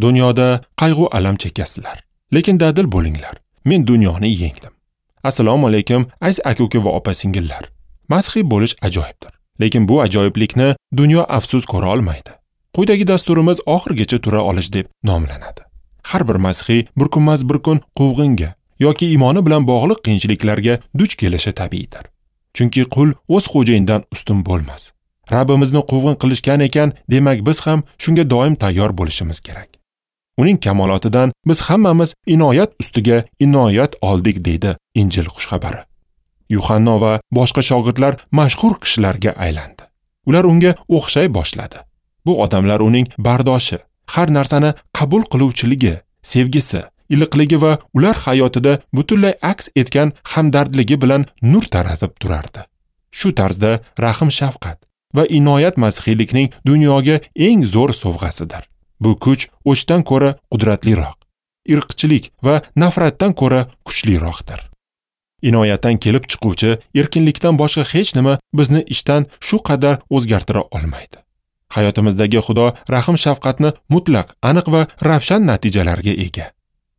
Dunyoda qayg'u alam chekasizlar, lekin dadil bo'linglar. Men dunyoni yengdim. Assalomu alaykum, aziz aka-uka va opa-singillar. Masihiy bo'lish ajoyibdir, lekin bu ajoyiblikni dunyo afsus ko'ra olmaydi. Quyidagi dasturimiz oxirigacha tura olish deb nomlanadi. Har bir masihiy bir kunmas bir kun quvg'inga yoki iymoni bilan bog'liq qiyinchiliklarga duch kelishi tabiiydir. Chunki qul o'z xo'jayinidan ustun bo'lmas. Rabbimizni quvg'in qilishgan ekan, demak biz ham shunga doim tayyor bo'lishimiz kerak. Uning kamolotidan biz hammamiz inoyat ustiga inoyat oldik, deydi Injil xushxabari. Yuhanno va boshqa shogirdlar mashhur kishilarga aylandi. Ular unga o'xshay boshladi. Bu odamlar uning bardoshi, har narsani qabul qiluvchiligi, sevgisi, iliqligi va ular hayotida butunlay aks etgan hamdardligi bilan nur taratib turardi. Shu tarzda rahm shafqat va inoyat masihiylikning dunyoga eng zo'r sovg'asidir. Bu kuch o'chdan ko'ra qudratliroq, irqchilik va nafratdan ko'ra kuchliroqdir. Inoyatdan kelib chiquvchi erkinlikdan boshqa hech nima bizni ishdan shu qadar o'zgartira olmaydi. Hayotimizdagi Xudo rahm shafqatni mutlaq, aniq va ravshan natijalarga ega.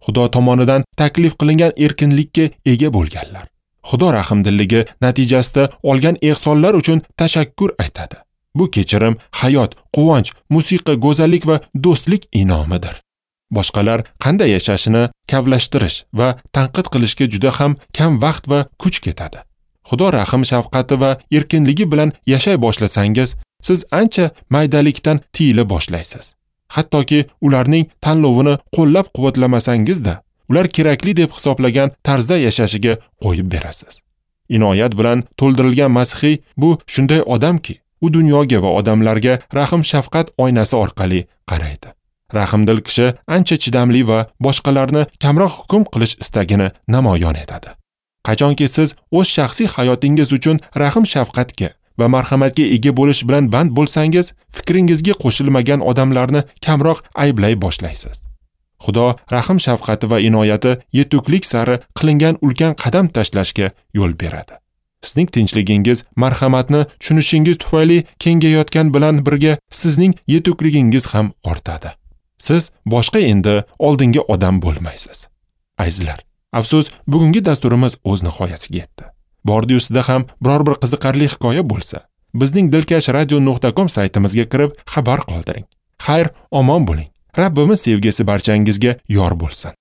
Xudo tomonidan taklif qilingan erkinlikka ega bo'lganlar Xudo rahmdilligi natijasida olgan ehsonlar uchun tashakkur aytadi. Bu kechirim, hayot, quvonch, musiqa, go'zallik va do'stlik in'omidir. Boshqalar qanday yashashini kavlashtirish va tanqid qilishga juda ham kam vaqt va kuch ketadi. Xudo rahm shafqati va erkinligi bilan yashay boshlasangiz, siz ancha maydalikdan tiyila boshlaysiz. Hattoki ularning tanlovini qo'llab-quvvatlamasangiz-da, ular kerakli deb hisoblagan tarzda yashashiga qo'yib berasiz. Inoyat bilan to'ldirilgan masihiy bu shunday odamki, u dunyoga va odamlarga rahm shafqat oynasi orqali qaraydi. Rahmdil kishi ancha chidamli va boshqalarni kamroq hukm qilish istagini namoyon etadi. Qachonki siz o'z shaxsiy hayotingiz uchun rahm shafqatga va marhamatga ega bo'lish bilan band bo'lsangiz, fikringizga qo'shilmagan odamlarni kamroq ayblay boshlaysiz. Xudo rahm shafqati va inoyati yetuklik sari qilingan ulkan qadam tashlashga yo'l beradi. Sizning tinchligingiz marhamatni tushunishingiz tufayli kengayotgan bilan birga sizning yetukligingiz ham ortadi. Siz boshqa endi oldingi odam bo'lmaysiz. Azizlar, afsus, bugungi dasturimiz o'z nihoyasiga yetdi. Bordi-yu sizda ham biror bir qiziqarli hikoya bo'lsa, bizning dilkashradio.com saytimizga kirib xabar qoldiring. Xayr, omon bo'ling. Rabbimiz sevgisi barchangizga yor bo'lsin.